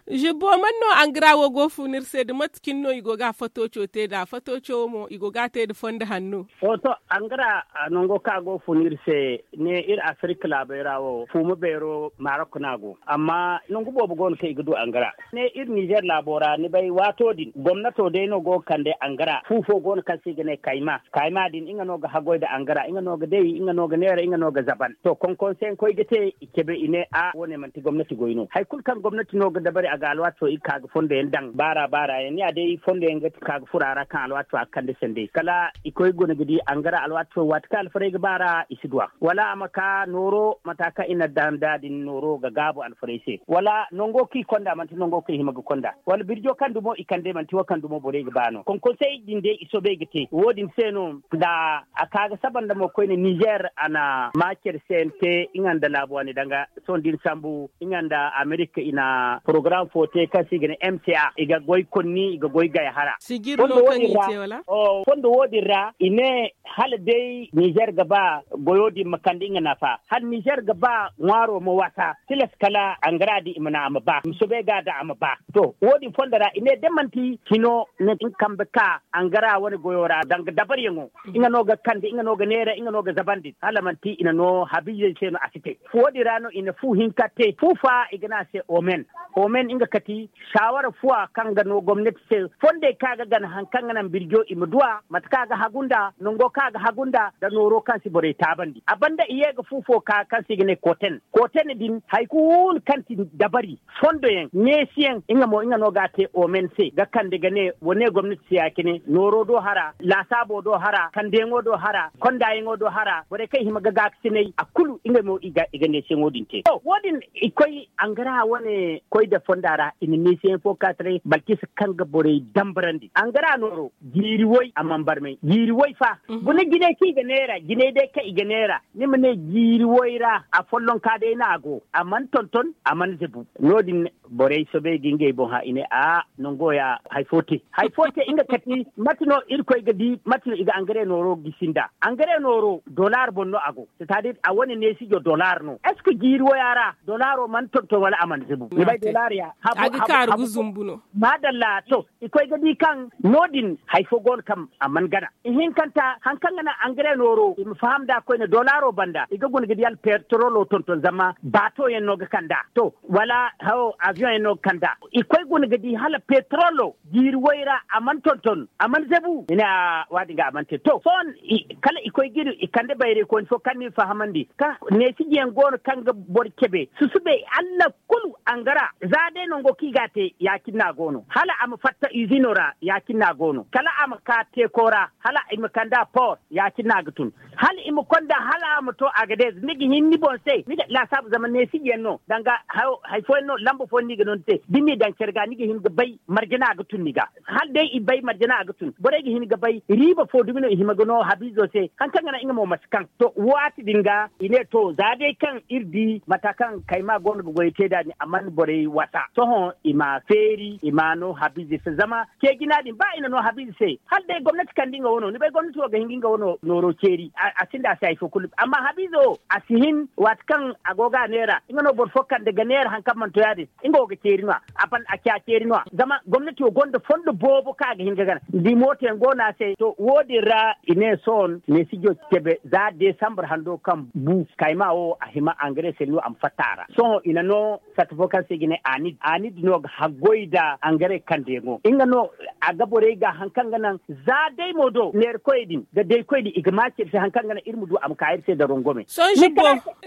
Zubbo, man no angara wo go ga fun iri se, da mate cine no i go ga a fatooco te nd'a? Fatooco wo mo, i go ga a te nda fondo hanno. To, angara nango kaŋ a go ga fun iri se, ne iri Afirka laabey ra wo, fuuma beero Marok no a go. Amma nangu boobo go no kaŋ i ga du angara. Ne iri Nizer laabo ra, ni bay, waato din gomnato day no go ga kande angara. Fu fo go no kaŋ se i ga ne kayma. Kayma din, nga no ga haggoy nda angara, nga no ga day, nga no ga neera, nga no ga zaban. To, konkonseyaŋ koy ga te, i cabe, i ne, a, wo- ne manti gomnati goy no. Hari kulu kaŋ gomnati no ga dabari, a ga alwaato i ga ka ga fondo yaŋ daŋ, baara baara yaŋ. Ni ya day, fondo yaŋ ga ka ga furo a ra, kaŋ alwaato a ga kande sanday. Kala i koy guna ga di angara alwaato, waati kaŋ alfarey ga baara, i si du a. Wala a ma ka nooro, mata kaŋ i na daŋ nd'a din, nooro ga gaabu alfarey se. Wala nango kaŋ i konda, manti nango kaŋ i hima ga konda. Wala birjo kaŋ dumo i kande, manti wo kaŋ dumo borey ga ba no. Konkonsey din day, i soobay ga te. Wo- din se no, nda a ka ga saba nda mo koyne, Nizer, a na maakir se te, nga nda laabu wane danga, sohõ da ni sambu, nga nda Amerika, i na porogaram fo te kaŋ se i ga ne M C A. I ga goy konni, i ga goy gay hara. Sijir no kaŋ i te, wala? Fondo wo- din ra, i ne, hala day Nizer ga ba goyo din ma kande nga nafa, hala Nizer ga ba ŋwaaro ma wasa, tilas kala angara din i ma naŋ a ma ba, i ma soobay ga daŋ a ma ba. To, wo- din fondo ra, i ne, da manti hino na nga kambe ka angara wane goyo ra, danga dabariyaŋo, nga no ga kande, nga no ga neera, nga no ga zabandi, hala manti i na no habiizey se no, a si te. Wo- din ra no i na fu hinka te, fu fa i ga ne a se Omen. Omen, nga kati saawara fuwa kaŋ ga no gomnati se, fondey kaŋ a ga gana, hari kaŋ ga naŋ birjo i ma du a, mate kaŋ a ga hagu nd'a, nango kaŋ a ga hagu nd'a, nda nooro kaŋ si borey taabandi. A banda i ye ga fu fo ka, kaŋ se i ga ne Koten. Koten din, hari kulu kaŋ ti dabari, fondoyaŋ, neesiyaŋ, nga mo, nga no ga a te Omen se, ga kande ga ne, wa ne gomnati se ya-cine, nooro do hara, laasaabo do hara, kandeyaŋo do hara, kondayaŋo do hara, borey kaŋ i hima ga gaakasinay, a kulu, ngey mo, i ga, i ga neesiyaŋo din te. To, wo- din, i koy angara wane koy da fonda ra, i na neesiyaŋ fo ka taray, Balkisa, kaŋ ga borey dambarandi. Angara nooro, jiiri way, a mana barmay. Jiiri way fa. Guna jinay kaŋ i ga neera, jinay day kaŋ i ga neera, ni ma ne jiiri way ra, a follonka day no a go. A mana tonton, a mana zabu. No- din, borey soobay ga ngey boŋ hã, i ne, a, nango ya, hari fo te. Hari fo te, nga kati, mate no Irkoy ga di, mate no i ga angare nooro gisi nd'a. Angare nooro, dollar boŋ no a go. C'est-à-dire, a wane neesijo dollar no. Est-ce que jiiri waya ra, dollaro mana tonton wala a mana zabu? Ni bay, dollar ya, habu, a ga kaaru ga zumbu no. Maadalla, to, i koy ga di kaŋ no- din hari fo go no kaŋ a mana gana. Ihinkanta, hari kaŋ ga naŋ angare nooro, i ma faham nd'a koyne, dollaro banda, i ga guna ga di hala petrolo tonton, zama baato yaŋ no ga kand'a. To, wala, hawo, avion yaŋ no ga kand'a. I koy guna ga di hala petrolo, jiiri way ra, a mana tonton, a mana zabu. I ne, a, wo- din ga a mana te. To, sohõ, i, kala i koy ga iri, i kande bayraykooni fo kaŋ n'i fahamandi, kaŋ neesijiyaŋ go no kaŋ ga boro cabe, susubay, Alla kulu angara, za day nango kaŋ i ga a te, ya-cine no a go no. Hala a ma fatta izino ra, ya-cine no a go no. Kala a ma ka teeko ra, hala i ma kand'a por, ya-cine no a ga tun. Hala i ma konda, hala a ma to Agadez, ni ga hin ni boŋ se, ni ga laasaabu, zama neesijiyaŋ no, danga hayo, hari fooyaŋ no, lamba fooyaŋ no i ga no ni se. Da ni n'i daŋ care ga, ni ga hin ga bay marje no a ga tun ni ga. Hala day i bay marje no a ga tun, borey ga hin ga bay riiba fo dumi no i hima ga no habiizo se, hari kaŋ ga naŋ nga mo ma si kaŋ. To, waati din ga, i ne, to, za day kaŋ iri di mata kaŋ Kayma go no ga goyey te nd'a din, a mana borey wasa. Sohõ i ma feeri, i ma no habiize se, zama ce jina din, ba i na no habiize se, hala day gomnati kande nga wano, ni bay, gomnati wo ga hin ga nga wano nooro ceeri, a, a sinda a se hari fo kulu. Amma habiizo wo, a si hin, waati kaŋ a go ga a neera, nga no boro fo kande ga neera hari kaŋ mana to yaadin. Nga wo ga ceeri no-ya, a ban a ci a ceeri no-ya. Zama gomnati wo gonda fondo boobo kaŋ a ga hin ga gana. Da mooto yaŋ go no a se, to, wo-din ra i ne sohõ neesijo cabe za desambar hando kaŋ bu Kayma wo a hima angare se no a ma fatta a ra. Sohõ i na no sata fo kaŋ se i ga ne Anid. Anid no ga haggoy nda angare kandeyaŋo. Nga no a ga borey ga hari kaŋ ga naŋ za day mo do neerakoyey din da daykoy din i ga maaci iri se hari kaŋ ga naŋ iri ma du a ma ka iri se da rongome. Sohõ Zibbo,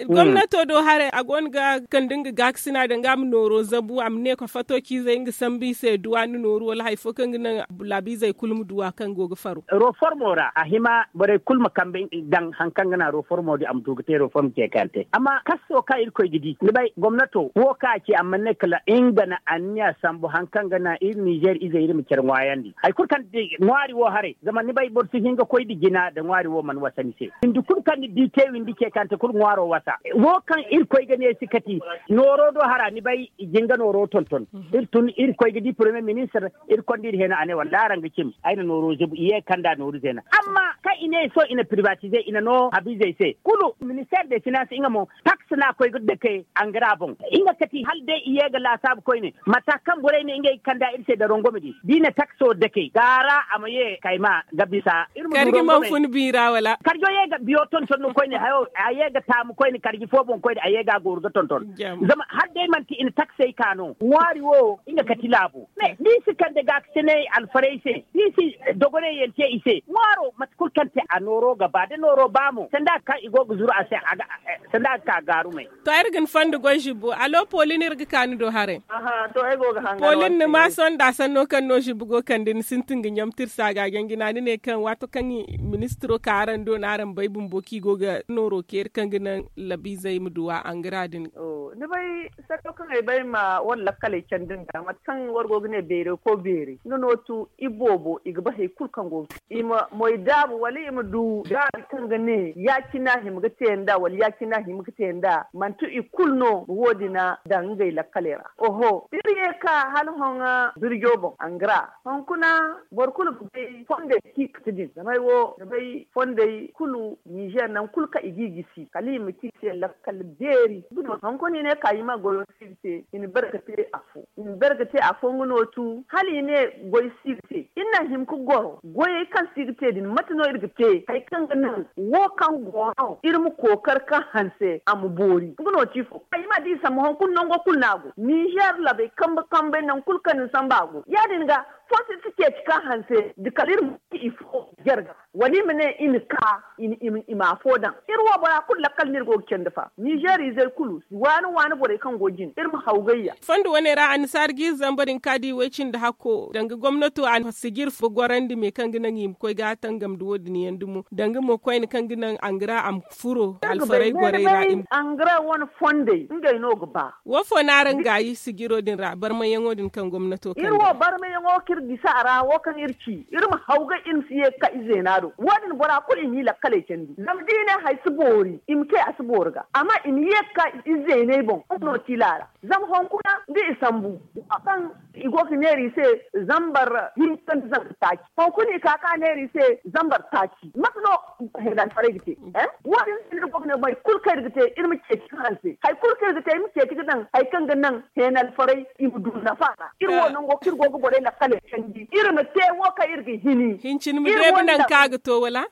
gomnato do haray, a go no ga kande nga gaakasina danga a ma nooro zabu, a ma ne ka fato ciizey nga sambu i se duw'a nda nooru wala hari fo kaŋ ga naŋ laabiizey kulu ma duw'a kaŋ go ga faro. Roformo ra, a hima borey kulu ma kambe daŋ hari kaŋ ga naŋ roformo din a ma du ga te roformo ce kaŋ te. Amma kaso kaŋ Irkoy ga di, ni bay, gomnato wo kaŋ a ci, a mana ne kala nga na anniya sambu hari kaŋ ga naŋ iri Nizer izey iri ma care ŋwaayandi. Hari kulu kaŋ ti ŋwaari wo haray, zama ni bay, boro si hin ga koy nda jina da ŋwaari wo mana wasa ni se. Windi kulu kaŋ ni di te windi ce kaŋ te kulu ŋwaaro wasa. Wo kaŋ Irkoy ga ne si kati, nooro do hara, ni bay, nga nooro tonton. Iri tun iri koy ga di premier ministre, iri konda iri hena a ne wallaahi araŋ ga cim. Ay na nooro zebu i ye ga kanda nooru zeena amma kaŋ i ne sohõ i na privatize i na no habizey se kulu minister de finance nga mo, tax no a koy ga dake angara boŋ. Nga kati hala day i ye ga laasaabu koyne mata kaŋ borey ne ngey ga kanda iri se da rongome din da i na takso dake gaara a ma ye kayma ga bisa. Iri ma du rongome. Karjo ye ga biyo tonton no koyne hayo a ye ga taamu koyne karji fo boŋ koyne a ye ga a gooru ga tonton. Zama hala day manti i na taksey ka no ŋwaari wo nga kati laabo. Ni si kande ga ga sinay alfarey se ni si dogoney yaŋ te i se ŋwaaro mate kulu kaŋ te a nooro ga ba da nooro ba mo sanda kaŋ i go ga zuru a se. Sanda a ga ka gaarumey. To iri ga ni fondo goy zibbo alo polin iri ga ka ni do haray. Polin ni ma sohõ nda a sanno kaŋ no zibbo go kande ni sintin ga ɲamtirsa ga a jaŋ jina ni ne kaŋ waato kaŋ ministiro ka araŋ do no araŋ bay bumbo kaŋ i go ga nooro keeri kaŋ ga naŋ labiizey ma duw'a angara din. Ni bay sanno kaŋ ay bay ma wala lakkaley candi nda mate kaŋ war go ga ne beerey ko beerey nga no tu iboobo i ga ba hari kulu kaŋ go ga te i ma moy daabu wala i ma du gaabi kaŋ ga ne ya-cina hima ga te nda wala ya-cina hima ga te nda manti i kulu no ga wo- din daŋ ngey lakkaley ra. Oho iri ye ga ka hala hoŋa birjo boŋ angara honkuna boro kulu ga bay fondey kaŋ i ga te din zama ay wo ga bay fondey kulu ninzeer nangu kulu kaŋ i ga i gisi kala i ma ci i se lakkal beeri. Hunkuna i ne ka i ma goyo se i se i na bare ga te afo i na bare ga te afo nga no tu hala i ne goy si ga te iri na hima ga goro goyey kaŋ si ga te din mate no iri ga te hari kaŋ ga naŋ wo kaŋ go no iri ma kookari ka hanse a ma boori nga no ti ifo ay ma di sambu hunkuna nango kulu no a go ninzeer labey kambe kambey nangu kulu kaŋ ni sambu a go ya- din ga fo si ga ceeci ka hanse da kala iri ma ci ifo jarga wala i ma ne i na ka i ma afo daŋ iri wo bora kulu lakkal no iri go ga candi fa ninzeer izey kulu waani waani borey kaŋ go jine iri ma hawgayya. Fondo wane ra annasaara jiiri zamba din ka di way cindi hakko danga gomnato a na sijir fo gorandi me kaŋ ga naŋ i ma koy ga a tangam da wo- din yaŋ dumo danga mo koyne kaŋ ga naŋ angara a ma furo alfaray gorey ra. Angara wane fondey ngey no ga ba. Wo fo no araŋ gaayi sijiro din ra barmayaŋo din kaŋ gomnato kaŋ iri wo barmayaŋo kaŋ iri gisi a ra wo kaŋ iri ci iri ma hawgay iri ma si ye ga ka izeena do wo- din bora kulu i ma i lakkaley candi zama da i ne hari si boori i ma kay a si boori ga amma i ma ye ga ka izeeney boŋ nga no tiila ra. Zama hunkuna da i sambu wo kaŋ i go ga neera i se zambar hinka nda zambar taaci hunkuna i ka ka neera i se zambar taaci mate no heenalfarey ga te? Wo- din se iri go ga ne boro kulu kaŋ iri ga te iri ma ceeci ga hanse hari kulu kaŋ iri ga te iri ma ceeci ga daŋ hari kaŋ ga naŋ heenalfarey i ma du nafa ra iri wo nango kaŋ iri go ga borey lakkaley candi iri ma te wo kaŋ iri ga hini. Hincin ma deebi nangu kaŋ a ga to wala?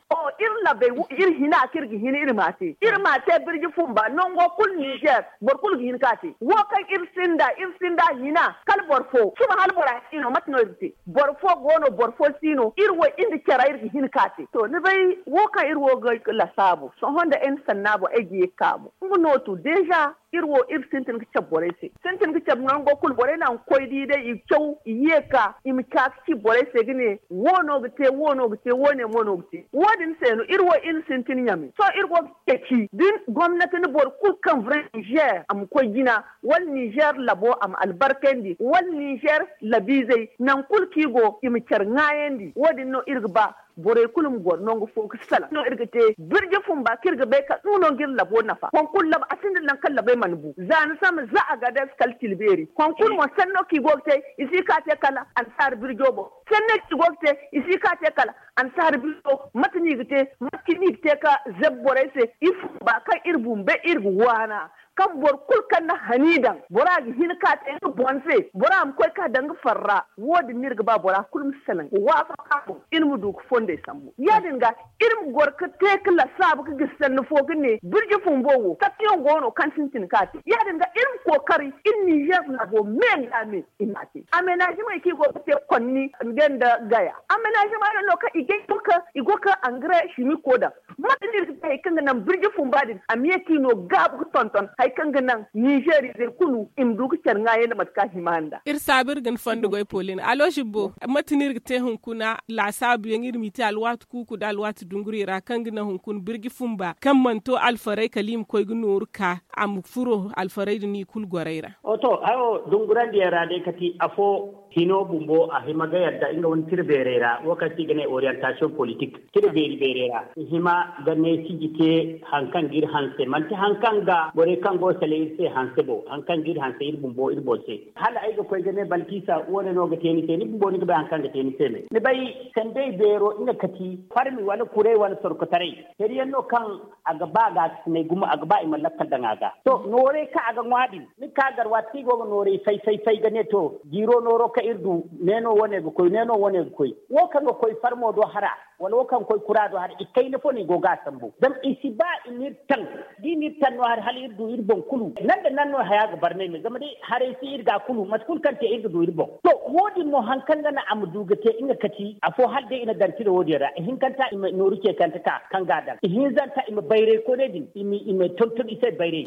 Iri labey iri hina kaŋ iri ga hini iri ma a te iri ma a te birji fumba nango kulu ninzeer boro kulu ga hin ka te wo kaŋ iri sinda iri sinda hina kala boro fo suba hala bora si no mate no iri ga te boro fo go no boro fo si no iri wo iri nda cara iri ga hin ka te to ni bay wo kaŋ iri wo ga lasaabu sohõ nda ay na sannaabo ay ga ye ga kaabu nga no to deeza iri wo iri sintin ga cabe borey se sintin ga cabe nango kulu borey na ga koy di day i caw i ye ga ka i ma ca ga ci borey se ga ne wo- no ga te wo- no ga te wo- ne mo no ga te wo- din se no iri wo iri sintin ɲame sohõ iri go ga ceeci da gomnati na boro kulu kaŋ vrai ninzeer a ma koy jina wala ninzeer labo a ma albarkandi wala ninzeer labiizey nangu kulu kaŋ i go i ma care ŋaayandi wo- din no iri ga ba borey kulu ma goro nangu fo ga salaŋ no iri ga te birji fumba kaŋ iri ga bay kaŋ nga no ga iri labo nafa hunkuna labo a sinda nangu kaŋ labey mana bu za ni sama za a ga day si kala tila beeri hunkuna mo sanno kaŋ i go ga te i si ka te kala annasaara birjo boŋ sanno kaŋ i go ga te i si ka te kala annasaara birjo mate no i ga te mate kaŋ no i ga te ka zabi borey se iri fumba kaŋ iri bumbo iri ga waana kaŋ boro kulu kaŋ na hani daŋ bora ga hin ka te nga boŋ se bora ma koy ka daŋ nga farra wo- din no iri ga ba bora kulu ma salaŋ waafaqa boŋ iri ma du ga fondey sambu ya- din ga iri ma goro ga te ga lasaabu ga gisi sanni fo ga ne birji fumbo wo kattiyaŋ go no kaŋ sintin ka te ya- din ga iri ma kookari iri ninzeer laabo me nda me i ma a te amenazimey kaŋ i go ga te konni nda gaya amenazimey no no kaŋ i go ga angare simiko daŋ mate no iri ga te hari kaŋ ga naŋ birji fumba din a ma ye ka i no gaabu ga tonton hari kaŋ ga naŋ ninzeer izey kulu i ma du ga care ŋaayandi mate kaŋ a hima nda iri saabu iri ga ni fondo goy polin alo zibbo mate no iri ga te hunkuna laasaabu yaŋ iri m'i te alwaati kuuku nda alwaati dunguri ra kaŋ ga naŋ hunkuna birji fumba kaŋ mana to alfaray kala i ma koy ga nooru ka a ma furo alfaray din i kulu gorey ra. To hayo dungurandi yaŋ ra day kati afo Hino bumbo a hima ga yadda nga wane tira beerey ra wo kaŋ se i ga ne orientasiyoŋ politik. Tira beeri beerey ra i hima ga ne siji te hari kaŋ ga iri hanse manti hari kaŋ ga borey kaŋ go ga sala iri se hanse bo hari kaŋ ga iri hanse iri bumbo iri boŋ se. Hala ay ga koy ga ne balkisa wo- ne no ga te ni se ni bumbo ni ga bay hari kaŋ ga te ni se me ni bay? Sandey beero nga kati farmi wala kuray wala sorkotaray. Hari yaŋ no kaŋ a ga ba ga a ga sinay gumo a ga ba i ma lakkal daŋ a ga. To noorey kaŋ a ga ŋwa din ni ga ka gar waati kaŋ i go ga noorey fay fay fay ga ne to jiiro nooro kaŋ iri du, neeno wane ga koy neeno wane ga koy. Wo kaŋ ga koy farmo do hara wala wo kaŋ ga koy kura do hara i kayna fo no i go ga a sambu zama i si ba i ma iri taŋ. Da i ma iri taŋ no hari hala iri du iri boŋ kulu nan da nan no haya ga barnay me zama day haray si iri ga kulu mate kulu kaŋ te iri ga du iri boŋ. To wo- din mo hari kaŋ ga naŋ a ma du ga te nga kati afo hala day i na gar tira wo- din ra ihinkanta i ma nooru ceekante ka kaŋ ga a daŋ ihinzanta i ma bayray kooney din i ma tonton i se bayray.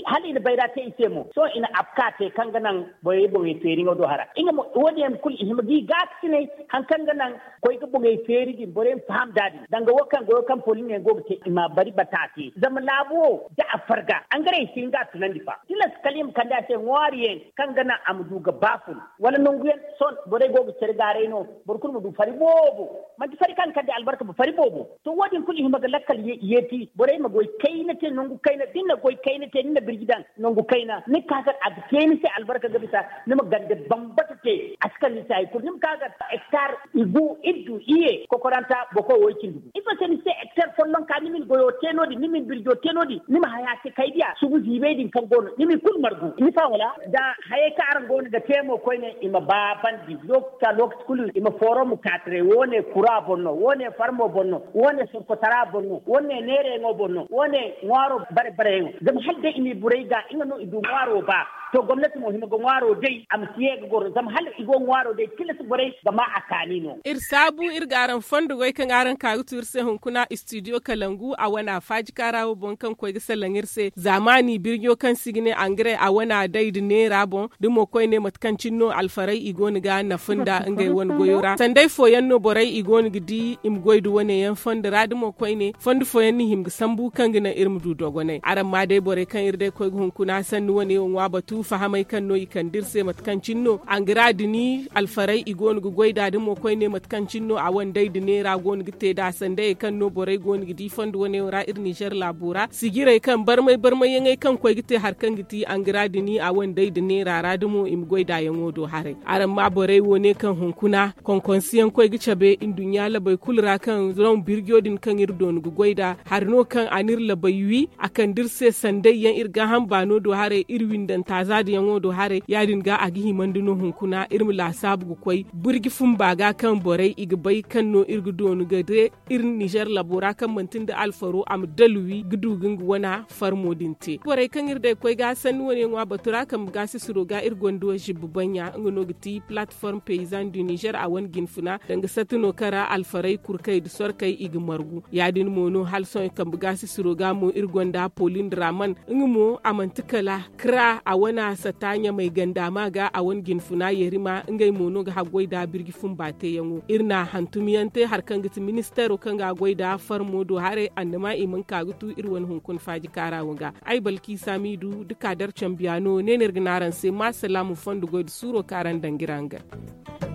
Hala i na bayra te i se mo sohõ i na afka te kaŋ ga naŋ borey boŋey feeriŋo do hara. Nga mo wo- din yaŋ kulu i hima ga i gaakasinay hari kaŋ ga naŋ koy ga boŋey feeri din borey ma faham nd'a din danga wo kaŋ goyo kaŋ poliŋ yaŋ go ga te i ma a bari bata se zama laabu wo da a farga angarey si hin ga a tunandi fa tilas kala i ma kande a se ŋwaari yaŋ kaŋ ga naŋ a ma du ga ba fun wala nangu yaŋ. Sohõ borey go ga care gaaray no boro kulu ma du fari boobo. Manti fari kaŋ ga kande albarka ba fari boobo. To wo- din kulu i hima ga lakkal yeeti borey ma goy kayna te nangu kayna da ni na goy kayna te ni na birji daŋ nangu kayna ni ga ka kaŋ a ga te ni se albarka ga bisa ni ma gande bambata te. A si kala ni se hari kulu ni ma ka ga hektar igu iddu iye kokoranta boko wo i cindi gu ifo se ni se hektar follonka ni ma ni goyo te no- din ni ma ni birjo te no- din ni ma haya se kay diya subu ziibay din kaŋ go no ni ma i kulu margu ni faham wala? Da hayey kaŋ araŋ go no ga te mo koyne i ma ba bandi lokaci lokaci kulu i ma fooro ma kaataray wo- ne kura boŋ no wo- ne farmo boŋ no wo- ne sorkotara boŋ no wo- ne neerayaŋo boŋ no wo- ne ŋwaaro bare bareyaŋo zama hala day i ma i burey ga nga no i du ŋwaaro ba. To gomnati mo hima ga ŋwaaro day a ma si ye ga goro zama hala i go ŋwaaro day tilas borey ga ma a kaani no. Iri saabu iri ga araŋ fondo goy kaŋ araŋ ka ga tu iri se hunkuna istidiyo kalangu a wana faajika ra wo boŋ kaŋ koy ga salaŋ iri se zaamaani birjo kaŋ se i ga ne angaray a wana day nda neera boŋ da mo koyne mate kaŋ cine no alfaray i go no ga nafa nda ngey wane goyo ra sanday fooyaŋ no borey i go no ga di i ma goy nda wane yaŋ fondo ra da mo koyne fondo fooyaŋ no i hima ga sambu kaŋ ga naŋ iri ma du dogonay araŋ ma day borey kaŋ iri day koy ga hunkuna sanni wane wo ŋwa batu fahamay kaŋ no i kande iri se mate kaŋ cine no angara dini alfaray i go no ga goy nd'a da mo koyne mate kaŋ cine no a wane day nda neera go no ga te nd'a sandayey kaŋ no borey go no ga di fondo wane wo ra iri ninzeer laabo ra sijirey kaŋ barmay barmayyaŋey kaŋ koy ga te hari kaŋ ga ti angara dini a wane day nda neera ra da mo i ma goy nd'a yaŋo do haray. Araŋ ma borey wo ne kaŋ hunkuna konkonsiyaŋ koy ga cabe nduɲɲa labey kulu ra kaŋ zama birjo din kaŋ iri doonu ga goy nd'a hari no kaŋ a n'iri labey wi a kande iri se sandayyaŋ iri gaaham baano do haray iri windanta zaadiyaŋo do haray ya- din ga a ga himandi no hunkuna iri ma laasaabu ga koy birji fumba ga kaŋ borey i ga bay kaŋ no iri ga doonu ga de iri ninzeer labo ra kaŋ manti nda alfaro a ma dalwi ga du ga nga wana farmo din te borey kaŋ iri day koy ga sanni wane ŋwa batu ra kambe gaasisiro ga iri gonda wa zibba baŋya nga no ga ti platform paysan du ninzeer a wane jinfuna danga satti no kaŋ ra alfaray kurkey nda sorkey i ga margu ya- din mo no hala sohõ kambe gaasisiro ga mo iri gonda polin draman nga mo a manti kala kra a wana sata ɲamay ganda ma ga a wane jinfuna yarima ngey mo no ga haggoy nda birji fumba teeyaŋo iri na hantumyaŋ te hari kaŋ ga ti ministeero kaŋ ga a goy nda farmo do haray annama i mana ka ga tu iri wane hunkuna faaji kaara wo ga ay balki samidu da kaadar cambiyaano ne no iri ga ne araŋ se ma salaamu fondo goy nda suuro kaŋ araŋ daŋ ga iri hangan.